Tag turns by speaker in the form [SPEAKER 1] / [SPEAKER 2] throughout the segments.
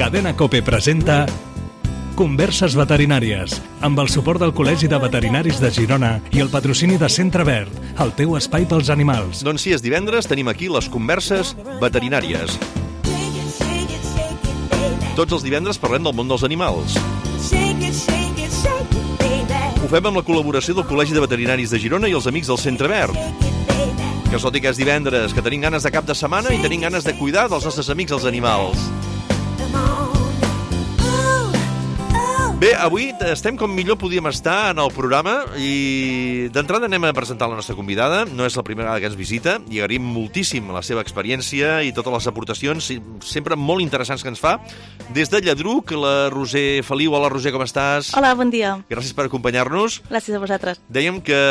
[SPEAKER 1] Cadena COPE presenta Converses veterinàries, amb el suport del Col·legi de Veterinaris de Girona i el patrocini de Centre Verd, el teu espai pels animals.
[SPEAKER 2] Doncs sí, és divendres, tenim aquí les Converses veterinàries. Tots els divendres parlem del món dels animals. Ho fem amb la col·laboració del Col·legi de Veterinaris de Girona i els amics del Centre Verd. Que tot i que és divendres, que tenim ganes de cap de setmana i tenim ganes de cuidar dels nostres amics els animals. Bé, avui estem com millor podíem estar en el programa i d'entrada anem a presentar la nostra convidada. No és la primera vegada que ens visita i agraïm moltíssim la seva experiència i totes les aportacions sempre molt interessants que ens fa. Des de Lladruc, la Roser Feliu. Hola, Roser, com estàs?
[SPEAKER 3] Hola, bon dia.
[SPEAKER 2] Gràcies per acompanyar-nos.
[SPEAKER 3] Gràcies a vosaltres.
[SPEAKER 2] Dèiem que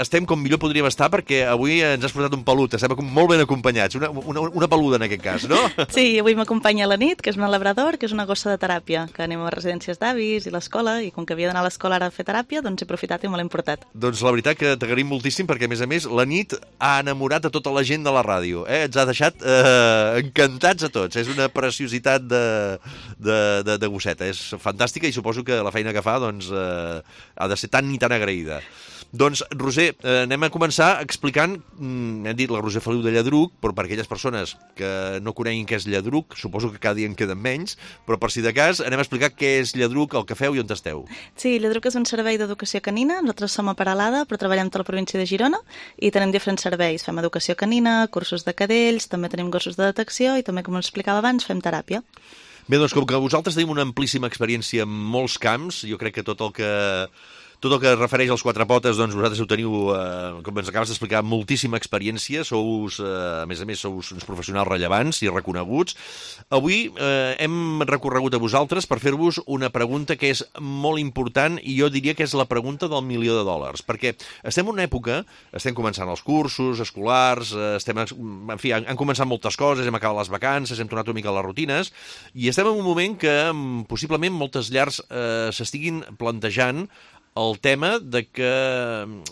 [SPEAKER 2] estem com millor podríem estar perquè avui ens has portat un pelut. Estem molt ben acompanyats. Una peluda, en aquest cas, no?
[SPEAKER 3] Sí, avui m'acompanya la Nit, que és un labrador, que és una gossa de teràpia, que anem a residències d'avis i l'escola, i com que havia d'anar a l'escola ara a fer teràpia, doncs he aprofitat i me l'he portat. Doncs
[SPEAKER 2] la veritat que t'agraïm moltíssim perquè, a més, la Nit ha enamorat a tota la gent de la ràdio. Ens ha deixat encantats a tots. És una preciositat de gosseta. És fantàstica i suposo que la feina que fa doncs, ha de ser tan i tan agraïda. Doncs, Roser, anem a començar explicant, hem dit la Roser Feliu de Lladruc, però per aquelles persones que no coneguin què és Lladruc, suposo que cada dia en queden menys, però per si de cas anem a explicar què és Lladruc, el que feu i on esteu.
[SPEAKER 3] Sí, Lladruc és un servei d'educació canina, nosaltres som a Peralada, però treballem a tota la província de Girona i tenim diferents serveis. Fem educació canina, cursos de cadells, també tenim gossos de detecció i també, com us explicava abans, fem teràpia.
[SPEAKER 2] Bé, doncs com que vosaltres tenim una amplíssima experiència en molts camps, jo crec que tot el que es refereix als quatre potes, doncs vosaltres ho teniu, com ens acabes d'explicar, moltíssima experiència, a més, sous uns professionals rellevants i reconeguts. Avui hem recorregut a vosaltres per fer-vos una pregunta que és molt important i jo diria que és la pregunta del $1.000.000, perquè estem en una època, estem començant els cursos escolars, han començat moltes coses, hem acabat les vacances, hem tornat una mica a les rutines, i estem en un moment que possiblement moltes llars s'estiguin plantejant el tema de que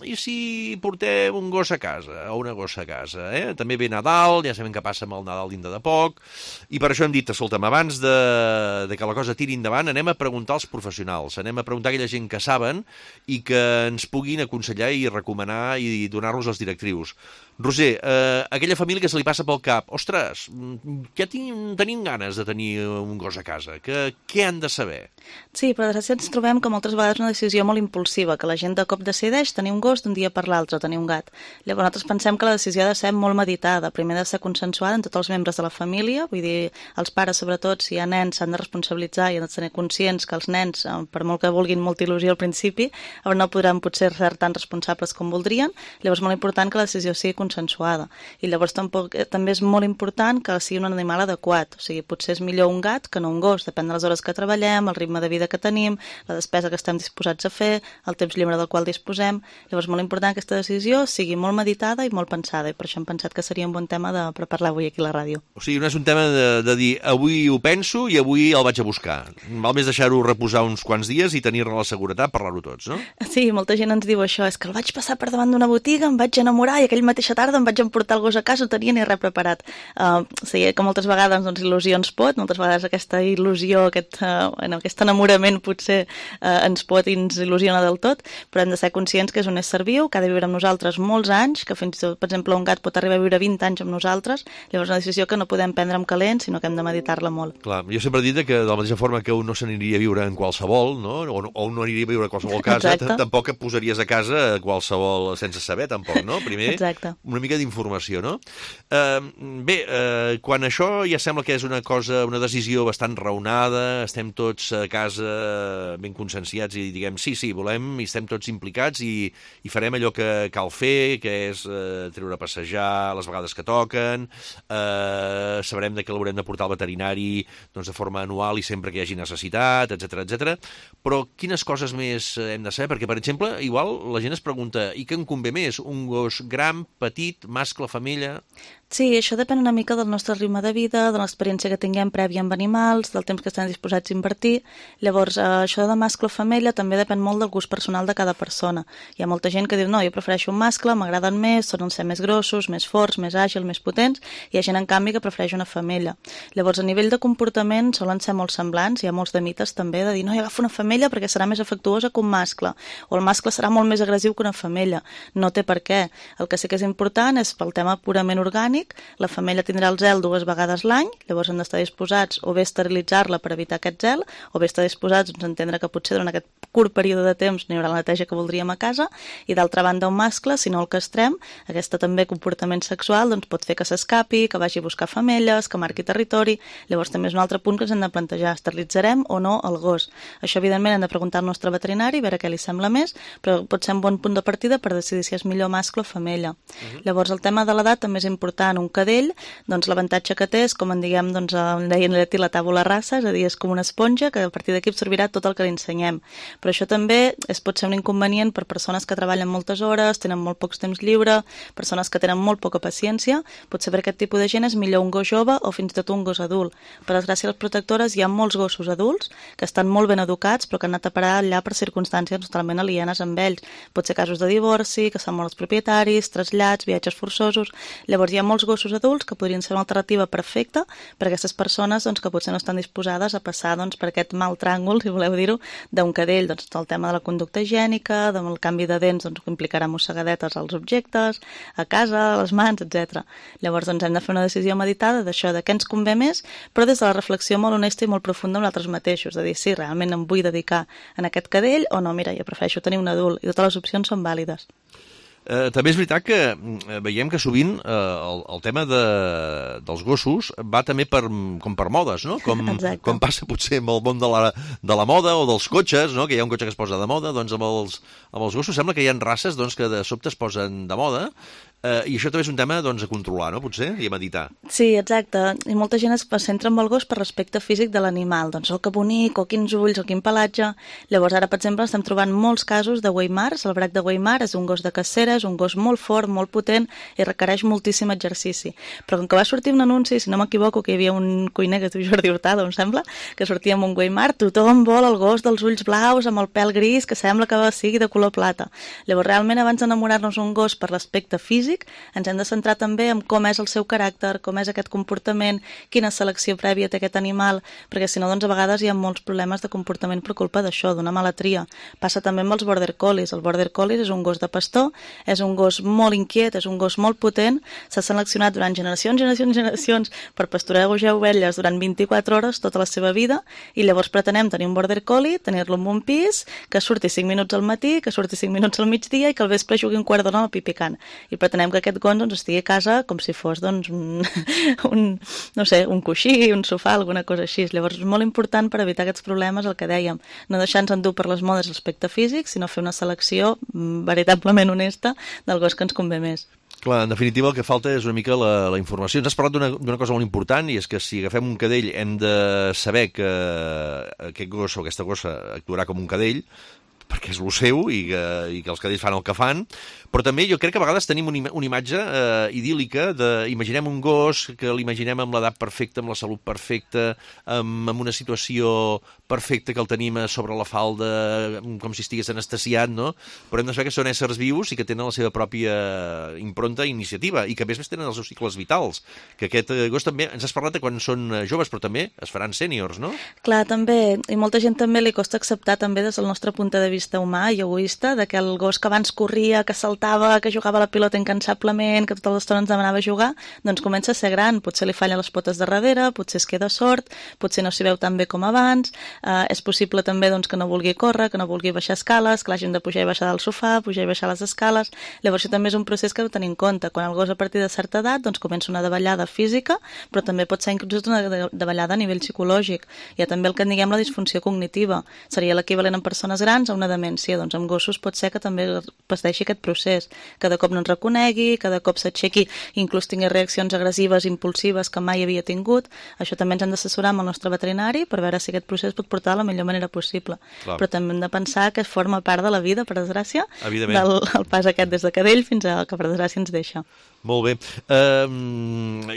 [SPEAKER 2] i si portem un gos a casa o una gossa a casa, També ve Nadal, ja sabem què passa amb el Nadal dintre de poc, i per això hem dit, escolta'm, abans de que la cosa tiri endavant, anem a preguntar als professionals, anem a preguntar a aquella gent que saben i que ens puguin aconsellar i recomanar i donar-nos les directrius. Roser, aquella família que se li passa pel cap, ostres, ja tenim ganes de tenir un gos a casa, què han de saber?
[SPEAKER 3] Sí, però de ens trobem que moltes vegades una decisió molt impulsiva, que la gent de cop decideix tenir un gos d'un dia per l'altre, tenir un gat. Llavors nosaltres pensem que la decisió ha de ser molt meditada, primer ha de ser consensuada en tots els membres de la família, vull dir, els pares sobretot, si hi ha nens, s'han de responsabilitzar i han de tenir conscients que els nens, per molt que vulguin molta il·lusió al principi, no podran potser ser tan responsables com voldrien, llavors és molt important que la decisió sigui consensuada. I llavors també és molt important que sigui un animal adequat, o sigui, potser és millor un gat que no un gos, depèn de les hores que treballem, el ritme de vida que tenim, la despesa que estem disposats a fer, el temps lliure del qual disposem. Llavors és molt important que aquesta decisió sigui molt meditada i molt pensada, i per això hem pensat que seria un bon tema per parlar avui aquí a la ràdio.
[SPEAKER 2] O sigui, no és un tema de dir avui ho penso i avui el vaig a buscar. Val més deixar-ho reposar uns quants dies i tenir-ne la seguretat, parlar-ho tots, no?
[SPEAKER 3] Sí, molta gent ens diu això, és que el vaig passar per davant d'una botiga, em vaig enamorar i aquella mateixa tarda em vaig emportar el gos a casa, no tenia ni res preparat. Sí, que moltes vegades il·lusió ens pot, moltes vegades aquesta il·lusió, aquest enamorament potser ens pot i ens il·lusiona del tot, però hem de ser conscients que és un ésser viu, que ha de viure amb nosaltres molts anys, que fins i tot, per exemple, un gat pot arribar a viure 20 anys amb nosaltres, llavors una decisió que no podem prendre amb calent, sinó que hem de meditar-la molt.
[SPEAKER 2] Clar, jo sempre he dit que de la mateixa forma que un no s'aniria a viure en qualsevol, no? O un no aniria a viure a qualsevol casa, tampoc et posaries a casa qualsevol sense saber, tampoc, no? Primer, una mica d'informació, no? Bé, quan això ja sembla que és una decisió bastant raonada, estem tots a casa ben conscienciats i diguem sí, volem i estem tots implicats i farem allò que cal fer, que és treure a passejar les vegades que toquen, sabrem que l'haurem de portar al veterinari doncs, de forma anual i sempre que hi hagi necessitat, etc. Però quines coses més hem de saber? Perquè, per exemple, igual la gent es pregunta i què em convé més? Un gos gran, petit, mascle, femella?
[SPEAKER 3] Sí, això depèn una mica del nostre ritme de vida, de l'experiència que tinguem prèvia amb animals, del temps que estem disposats a invertir. Llavors, això de mascle o femella també depèn molt del gust personal de cada persona. Hi ha molta gent que diu, no, jo prefereixo un mascle, m'agraden més, solen ser més grossos, més forts, més àgils, més potents, i hi ha gent, en canvi, que prefereix una femella. Llavors, a nivell de comportament, solen ser molt semblants, hi ha molts de mites també de dir, no, jo agafo una femella perquè serà més afectuosa que un mascle, o el mascle serà molt més agressiu que una femella. No té per què. El que sí que és important és pel tema purament orgànic. La femella tindrà el zel 2 vegades l'any, llavors hem d'estar disposats o bé a esterilitzar-la per evitar aquest zel, o bé estar disposats a entendre que potser durant aquest curt període de temps no hi haurà la neteja que voldríem a casa, i d'altra banda un mascle, si no el castrem, aquest també comportament sexual doncs pot fer que s'escapi, que vagi a buscar femelles, que marqui territori. Llavors també és un altre punt que ens hem de plantejar, esterilitzarem o no el gos. Això evidentment hem de preguntar al nostre veterinari, veure què li sembla més, però pot ser un bon punt de partida per decidir si és millor mascle o femella. Llavors el tema de l'edat també és important. Un cadell, doncs l'avantatge que té és, com en diguem, doncs en deien llatí la tàbula rasa, és a dir, és com una esponja que a partir d'aquí absorbirà tot el que li ensenyem. Però això també pot ser un inconvenient per persones que treballen moltes hores, tenen molt pocs temps lliure, persones que tenen molt poca paciència. Potser per aquest tipus de gent és millor un gos jove o fins i tot un gos adult. Per desgràcia, a les protectores hi ha molts gossos adults que estan molt ben educats però que han anat a parar allà per circumstàncies totalment alienes amb ells. Pot ser casos de divorci, que se'n moren els propietaris, trasllats, viatges forçosos. Llavors hi ha molts gossos adults que podrien ser una alternativa perfecta per a aquestes persones doncs, que potser no estan disposades a passar doncs, per aquest mal tràngol, si voleu dir-ho, d'un cadell. Doncs, el tema de la conducta higiènica, del canvi de dents doncs, que implicarà mossegadetes als objectes, a casa, a les mans, etc. Llavors doncs, hem de fer una decisió meditada d'això, de què ens convé més, però des de la reflexió molt honesta i molt profunda amb nosaltres mateixos, de dir, sí, realment em vull dedicar a aquest cadell o no, mira, jo prefereixo tenir un adult, i totes les opcions són vàlides.
[SPEAKER 2] També és veritat que veiem que sovint el tema dels gossos va també com per modes, no? Com passa potser amb el món de la moda o dels cotxes, no? Que hi ha un cotxe que es posa de moda, doncs amb els gossos sembla que hi ha races doncs, que de sobte es posen de moda. I això també és un tema doncs, a controlar, no? Potser, i a meditar.
[SPEAKER 3] Sí, exacte. I molta gent es centra en el gos per l'aspecte físic de l'animal. Doncs, que bonic, o quins ulls, o quin pelatge. Llavors, ara, per exemple, estem trobant molts casos de Weimars. El brac de Weimar és un gos de cacera, és un gos molt fort, molt potent, i requereix moltíssim exercici. Però com que va sortir un anunci, si no m'equivoco, que hi havia un cuiner que es diu Jordi Hurtado, em sembla, que sortia amb un Weimar, tothom vol el gos dels ulls blaus, amb el pèl gris, que sembla que sigui de color plata. Llavors, realment, abans d'enamorar-nos un gos per l'aspecte físic, ens hem de centrar també en com és el seu caràcter, com és aquest comportament, quina selecció prèvia té aquest animal, perquè si no, doncs a vegades hi ha molts problemes de comportament per culpa d'això, d'una mala tria. Passa també amb els border collies. El border collie és un gos de pastor, és un gos molt inquiet, és un gos molt potent, s'ha seleccionat durant generacions per pasturejar ovelles durant 24 hores tota la seva vida, i llavors pretenem tenir un border collie, tenir-lo en un pis, que surti 5 minuts al matí, que surti 5 minuts al migdia i que al vespre jugui un quart d'hora al pipicant. I pretenem que aquest gos doncs, estigui a casa com si fos doncs, no sé, un coixí, un sofà, alguna cosa així. Llavors és molt important per evitar aquests problemes, el que dèiem, no deixar-nos endur per les modes l'aspecte físic, sinó fer una selecció veritablement honesta del gos que ens convé més.
[SPEAKER 2] Clar, en definitiva el que falta és una mica la informació. Ens has parlat d'una cosa molt important, i és que si agafem un cadell hem de saber que aquest gos o aquesta gossa actuarà com un cadell, perquè és el seu i que els cadells fan el que fan, però també jo crec que a vegades tenim una imatge idíl·lica imaginem un gos que l'imaginem amb l'edat perfecta, amb la salut perfecta, amb una situació perfecta que el tenim sobre la falda, com si estigués anestesiat, no? Però hem de saber que són éssers vius i que tenen la seva pròpia impronta i iniciativa, i que a més tenen els seus cicles vitals, que aquest gos també, ens has parlat de quan són joves, però també es faran sèniors, no?
[SPEAKER 3] Clar, també, i molta gent també li costa acceptar també des del nostre punt de vista humà i egoista, de que el gos que abans corria, que saltava, que jugava a la pilota incansablement, que tota l'estona ens demanava jugar, doncs comença a ser gran, potser li fallen les potes de darrere, potser es queda sord, potser no s'hi veu tan bé com abans, és possible també doncs, que no vulgui córrer, que no vulgui baixar escales, que l'hagin de pujar i baixar del sofà, pujar i baixar les escales. Llavors això també és un procés que heu de tenir en compte. Quan el gos a partir de certa edat doncs, comença una davallada física, però també pot ser inclús una davallada a nivell psicològic. Hi ha també el que en diguem la disfunció cognitiva. Seria l'equivalent en persones grans a una demència. Doncs amb gossos pot ser que també pateixi aquest procés. Cada cop no ens reconegui, cada cop s'aixequi, inclús tingui reaccions agressives, impulsives que mai havia tingut. Això també ens hem d'assessorar amb el nostre veterinari per veure si aquest procés pot portar de la millor manera possible. Clar. Però també hem de pensar que forma part de la vida, per desgràcia, del pas aquest des de cadell fins a que per desgràcia ens deixa.
[SPEAKER 2] Molt bé.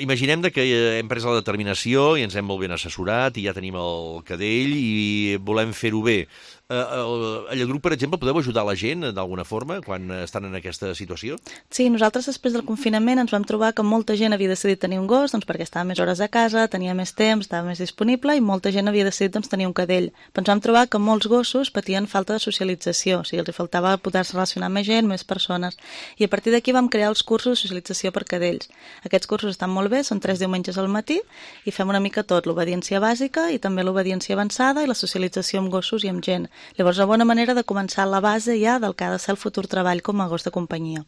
[SPEAKER 2] Imaginem que hem pres la determinació i ens hem molt ben assessorat i ja tenim el cadell i volem fer-ho bé. A Lladruc, per exemple, podeu ajudar la gent d'alguna forma quan estan en aquesta situació?
[SPEAKER 3] Sí, nosaltres després del confinament ens vam trobar que molta gent havia decidit tenir un gos doncs perquè estava més hores a casa, tenia més temps, estava més disponible i molta gent havia decidit doncs, tenir un cadell. Però ens vam trobar que molts gossos patien falta de socialització, o sigui, els faltava poder-se relacionar amb més gent, més persones. I a partir d'aquí vam crear els cursos de socialització per cadells. Aquests cursos estan molt bé, són 3 diumenges al matí i fem una mica tot, l'obediència bàsica i també l'obediència avançada i la socialització amb gossos i amb gent. Llavors, una bona manera de començar la base ja del que ha de ser el futur treball com a gos de companyia.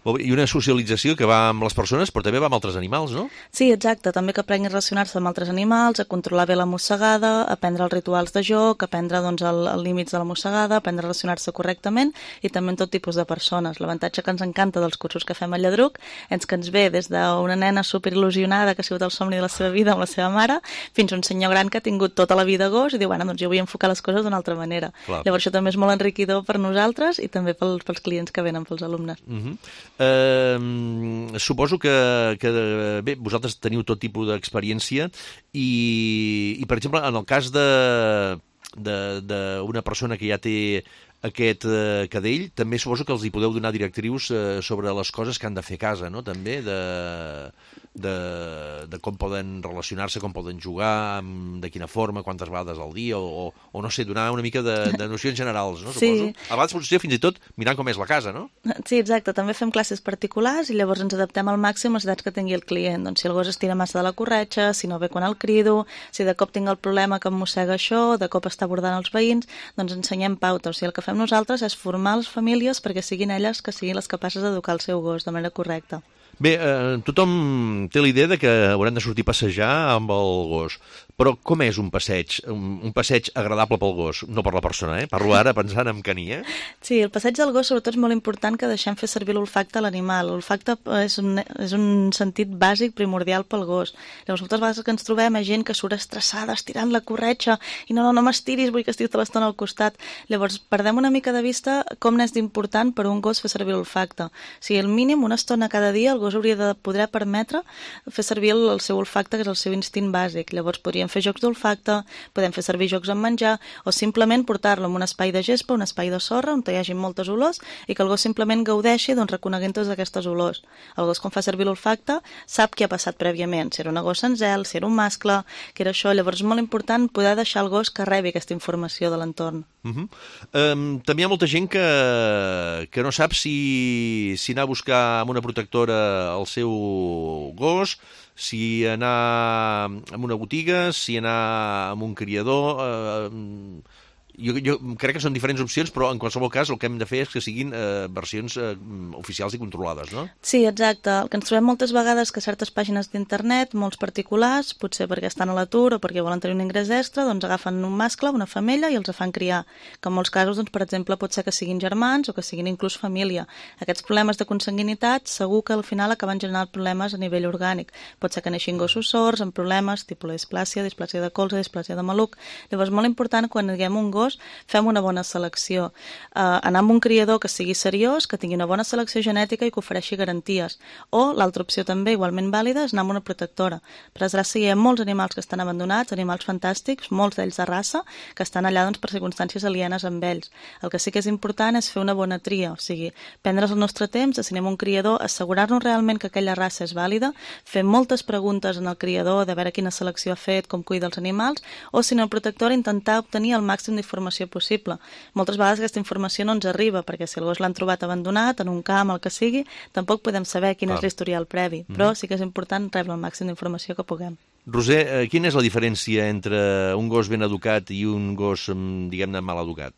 [SPEAKER 2] I una socialització que va amb les persones, però també va amb altres animals, no?
[SPEAKER 3] Sí, exacte. També que aprenguin a relacionar-se amb altres animals, a controlar bé la mossegada, a aprendre els rituals de joc, a aprendre doncs, els límits de la mossegada, a aprendre a relacionar-se correctament i també amb tot tipus de persones. L'avantatge que ens encanta dels cursos que fem a Lladruc és que ens ve des d'una nena superil·lusionada que ha sigut el somni de la seva vida amb la seva mare fins a un senyor gran que ha tingut tota la vida gos i diu, bueno, doncs jo vull enfocar les coses d'una altra manera. Clar. Llavors això també és molt enriquidor per nosaltres i també pels clients que venen, pels alumnes.
[SPEAKER 2] Suposo que bé, vosaltres teniu tot tipus d'experiència i per exemple, en el cas d'una persona que ja té aquest cadell, també suposo que els hi podeu donar directrius sobre les coses que han de fer a casa, no? També de com poden relacionar-se, com poden jugar, de quina forma, quantes vegades al dia, o no sé, donar una mica de nocions generals, no?
[SPEAKER 3] Sí.
[SPEAKER 2] Suposo. A vegades potser fins i tot mirant com és la casa, no?
[SPEAKER 3] Sí, exacte. També fem classes particulars i llavors ens adaptem al màxim a les edats que tingui el client. Doncs si el gos estira massa de la corretja, si no ve quan el crido, si de cop tinc el problema que em mossega això, de cop està abordant els veïns, doncs ensenyem pautes. O sigui, el que fem nosaltres és formar les famílies perquè siguin elles que siguin les capaces d'educar el seu gos de manera correcta.
[SPEAKER 2] Bé, tothom té la idea de que haurem de sortir a passejar amb el gos, però com és un passeig? Un passeig agradable pel gos, no per la persona, Parlo ara pensant en Cani,
[SPEAKER 3] Sí, el passeig del gos sobretot és molt important que deixem fer servir l'olfacte a l'animal. L'olfacte és un sentit bàsic primordial pel gos. Llavors, moltes vegades que ens trobem gent que surt estressada, estirant la corretja, i no m'estiris, vull que estiguis tota l'estona al costat. Llavors, perdem una mica de vista com n'és d'important per un gos fer servir l'olfacte. O sigui, al mínim, una estona cada dia, el gos hauria de poder permetre fer servir el seu olfacte, que és el seu instint bàsic. Llavors podríem fer jocs d'olfacte, podem fer servir jocs amb menjar, o simplement portar-lo en un espai de gespa, un espai de sorra, on hi hagi moltes olors, i que el gos simplement gaudeixi reconeguent totes aquestes olors. El gos, quan fa servir l'olfacte, sap què ha passat prèviament, si era una gossa en zel, si era un mascle, que era això. Llavors és molt important poder deixar el gos que rebi aquesta informació de l'entorn.
[SPEAKER 2] També hi ha molta gent que no sap si anar a buscar amb una protectora el seu gos, si anar a una botiga, si anar a un criador. Jo crec que són diferents opcions, però en qualsevol cas el que hem de fer és que siguin versions oficials i controlades, no?
[SPEAKER 3] Sí, exacte. El que ens trobem moltes vegades que certes pàgines d'internet, molts particulars, potser perquè estan a l'atur o perquè volen tenir un ingrés extra, doncs agafen un mascle, una femella i els fan criar. Que en molts casos, doncs, per exemple, pot ser que siguin germans o que siguin inclús família. Aquests problemes de consanguinitat segur que al final acaben generant problemes a nivell orgànic. Pot ser que neixin gossos sords amb problemes tipus la displàsia de colze, displàsia de maluc. Llavors, molt important, quan diguem un gos, fem una bona selecció. Anar amb un criador que sigui seriós, que tingui una bona selecció genètica i que ofereixi garanties. O l'altra opció també, igualment vàlida, és anar amb una protectora. Per desgràcia, hi ha molts animals que estan abandonats, animals fantàstics, molts d'ells de raça, que estan allà per circumstàncies alienes amb ells. El que sí que és important és fer una bona tria, o sigui, prendre's el nostre temps, designem un criador, assegurar-nos realment que aquella raça és vàlida, fer moltes preguntes en el criador de veure quina selecció ha fet, com cuida els animals, o si no, el protector intentar obtenir el màxim d'informació possible. Moltes vegades aquesta informació no ens arriba, perquè si el gos l'han trobat abandonat, en un camp, el que sigui, tampoc podem saber quin és l'historial previ, però sí que és important rebre el màxim d'informació que puguem.
[SPEAKER 2] Roser, quina és la diferència entre un gos ben educat i un gos, diguem-ne, mal educat?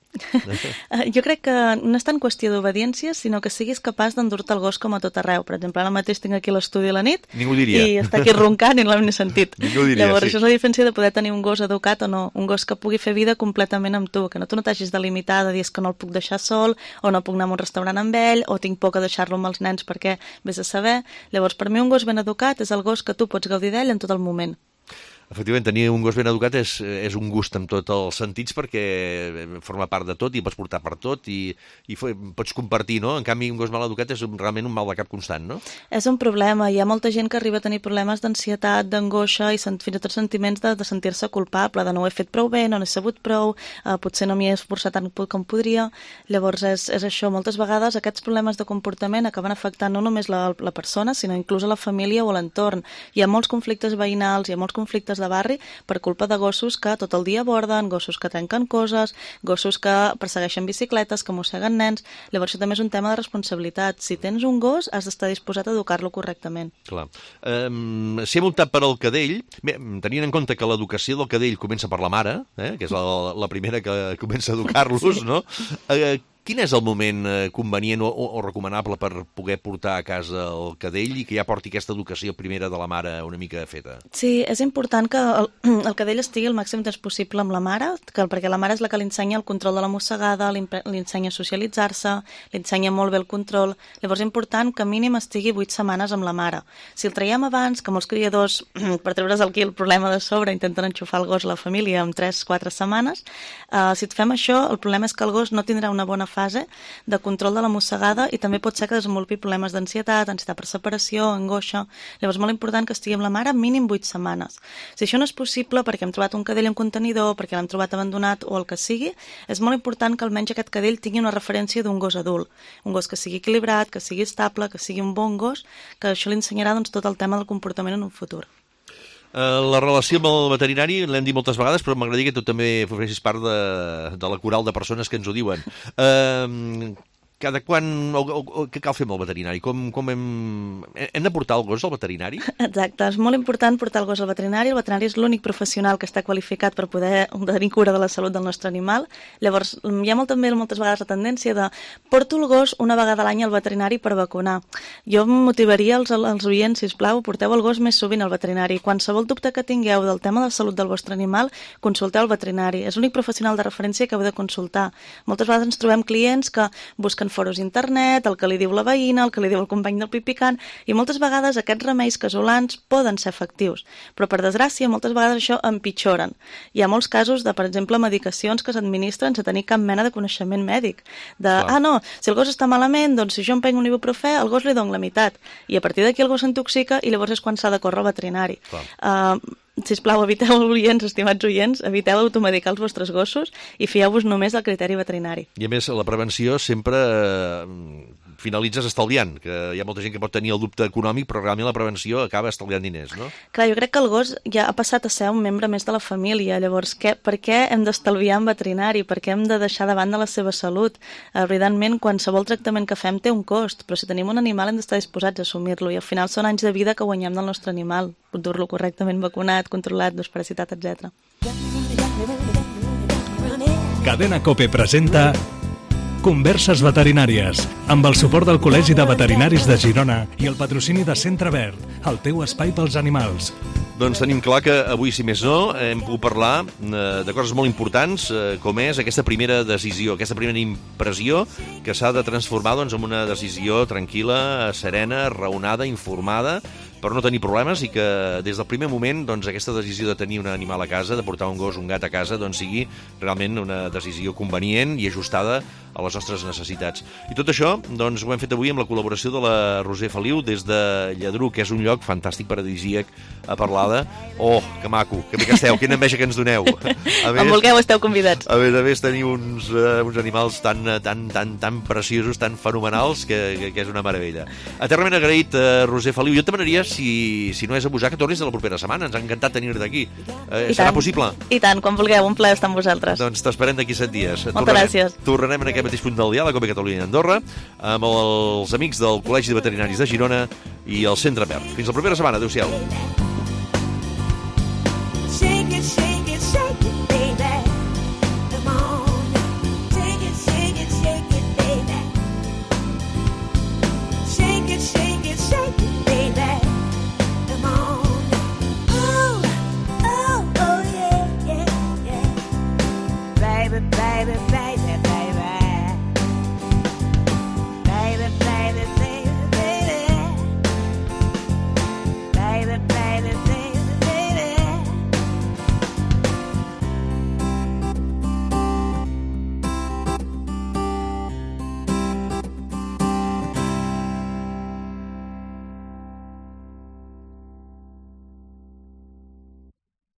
[SPEAKER 3] Jo crec que no és tant qüestió d'obediència, sinó que siguis capaç d'endur-te el gos com a tot arreu. Per exemple, ara mateix tinc aquí l'estudi a la nit i està aquí roncant i no l'hem ni sentit. Llavors, això és la diferència de poder tenir un gos educat o no, un gos que pugui fer vida completament amb tu, que tu no t'hagis de limitar de dir que no el puc deixar sol, o no puc anar a un restaurant amb ell, o tinc por que deixar-lo amb els nens perquè vés a saber. Llavors, per mi un gos ben educat és el gos que tu pots gaudir d'ell en tot el moment.
[SPEAKER 2] Efectivament, tenir un gos ben educat és un gust en tots els sentits perquè forma part de tot i pots portar per tot i pots compartir, no? En canvi, un gos mal educat és realment un mal de cap constant, no?
[SPEAKER 3] És un problema. Hi ha molta gent que arriba a tenir problemes d'ansietat, d'angoixa i fins i tot sentiments de sentir-se culpable, de no ho he fet prou bé, no n'he sabut prou, potser no m'hi he esforçat tant com podria. Llavors és això, moltes vegades aquests problemes de comportament acaben afectant no només la persona, sinó inclús a la família o a l'entorn. Hi ha molts conflictes veïnals, hi ha molts conflictes de barri per culpa de gossos que tot el dia aborden, gossos que trenquen coses, gossos que persegueixen bicicletes, que mosseguen nens. Llavors això també és un tema de responsabilitat. Si tens un gos, has d'estar disposat a educar-lo correctament.
[SPEAKER 2] Clar. Si hem optat per al cadell, tenint en compte que l'educació del cadell comença per la mare, que és la primera que comença a educar-los, no? Quin és el moment convenient o recomanable per poder portar a casa el cadell i que ja porti aquesta educació primera de la mare una mica feta?
[SPEAKER 3] Sí, és important que el cadell estigui el màxim temps possible amb la mare, perquè la mare és la que li ensenya el control de la mossegada, li ensenya a socialitzar-se, li ensenya molt bé el control. Llavors és important que mínim estigui 8 setmanes amb la mare. Si el traiem abans, que molts criadors, per treure's aquí el problema de sobre, intenten enxufar el gos a la família en 3-4 setmanes, si et fem això, el problema és que el gos no tindrà una bona fase de control de la mossegada i també pot ser que desenvolupi problemes d'ansietat, ansietat per separació, angoixa. Llavors és molt important que estigui amb la mare mínim 8 setmanes. Si això no és possible perquè hem trobat un cadell en contenidor, perquè l'hem trobat abandonat o el que sigui, és molt important que almenys aquest cadell tingui una referència d'un gos adult. Un gos que sigui equilibrat, que sigui estable, que sigui un bon gos, que això li ensenyarà tot el tema del comportament en un futur.
[SPEAKER 2] La relació amb el veterinari l'hem dit moltes vegades, però m'agradaria que tu també fessis part de la coral de persones que ens ho diuen. Cada quan... Què cal fer amb el veterinari? Com hem de portar el gos al veterinari?
[SPEAKER 3] Exacte, és molt important portar el gos al veterinari. El veterinari és l'únic professional que està qualificat per poder tenir cura de la salut del nostre animal. Llavors, hi ha també moltes vegades la tendència de porto el gos una vegada a l'any al veterinari per vacunar. Jo motivaria els oients, sisplau, porteu el gos més sovint al veterinari. Qualsevol dubte que tingueu del tema de salut del vostre animal, consulteu el veterinari. És l'únic professional de referència que heu de consultar. Moltes vegades ens trobem clients que busquen foros d'internet, el que li diu la veïna, el que li diu el company del pipicant, i moltes vegades aquests remeis casolans poden ser efectius, però per desgràcia moltes vegades això empitjoren. Hi ha molts casos de, per exemple, medicacions que s'administren sense tenir cap mena de coneixement mèdic. No, si el gos està malament, doncs si jo em prenc un ibuprofè, al gos li dono la meitat, i a partir d'aquí el gos s'intoxica i llavors és quan s'ha de córrer al veterinari. Sisplau, eviteu, estimats oients, eviteu automedicar els vostres gossos i fieu-vos només al criteri veterinari.
[SPEAKER 2] I a més, la prevenció sempre finalitzes estalviant, que hi ha molta gent que pot tenir el dubte econòmic, però realment la prevenció acaba estalviant diners, no?
[SPEAKER 3] Clar, jo crec que el gos ja ha passat a ser un membre més de la família, llavors per què hem d'estalviar en veterinari? Per què hem de deixar de banda la seva salut? Evidentment, qualsevol tractament que fem té un cost, però si tenim un animal hem d'estar disposats a assumir-lo i al final són anys de vida que guanyem del nostre animal, dur-lo correctament vacunat, controlat, desparasitat, etc.
[SPEAKER 1] Cadena COPE presenta Converses veterinàries, amb el suport del Col·legi de Veterinaris de Girona i el patrocini de Centre Verd, el teu espai pels animals.
[SPEAKER 2] Doncs tenim clar que avui, si més no, hem pogut parlar de coses molt importants, com és aquesta primera decisió, aquesta primera impressió que s'ha de transformar en una decisió tranquil·la, serena, raonada, informada, per no tenir problemes i que des del primer moment aquesta decisió de tenir un animal a casa, de portar un gos, un gat a casa, sigui realment una decisió convenient i ajustada a les nostres necessitats. I tot això ho hem fet avui amb la col·laboració de la Roser Feliu des de Lladruc, que és un lloc fantàstic, paradisíac, a Parlada. Oh, que maco, que bé que esteu, quina enveja que ens doneu.
[SPEAKER 3] Quan vulgueu esteu convidats.
[SPEAKER 2] A més, teniu uns animals tan preciosos, tan fenomenals, que és una meravella. Eternament agraït, Roser Feliu. Jo et demanaria, si no és abusar, que tornis la propera setmana. Ens ha encantat tenir-te aquí. Serà possible?
[SPEAKER 3] I tant, quan vulgueu, un plaer estar amb vosaltres.
[SPEAKER 2] Doncs t'esperem d'aquí 7 dies.
[SPEAKER 3] Moltes gràcies.
[SPEAKER 2] Tornarem en aquest mateix punt del diàleg, COPE Catalunya i Andorra, amb els amics del Col·legi de Veterinaris de Girona i el Centre Verd. Fins la propera setmana. Adéu-siau.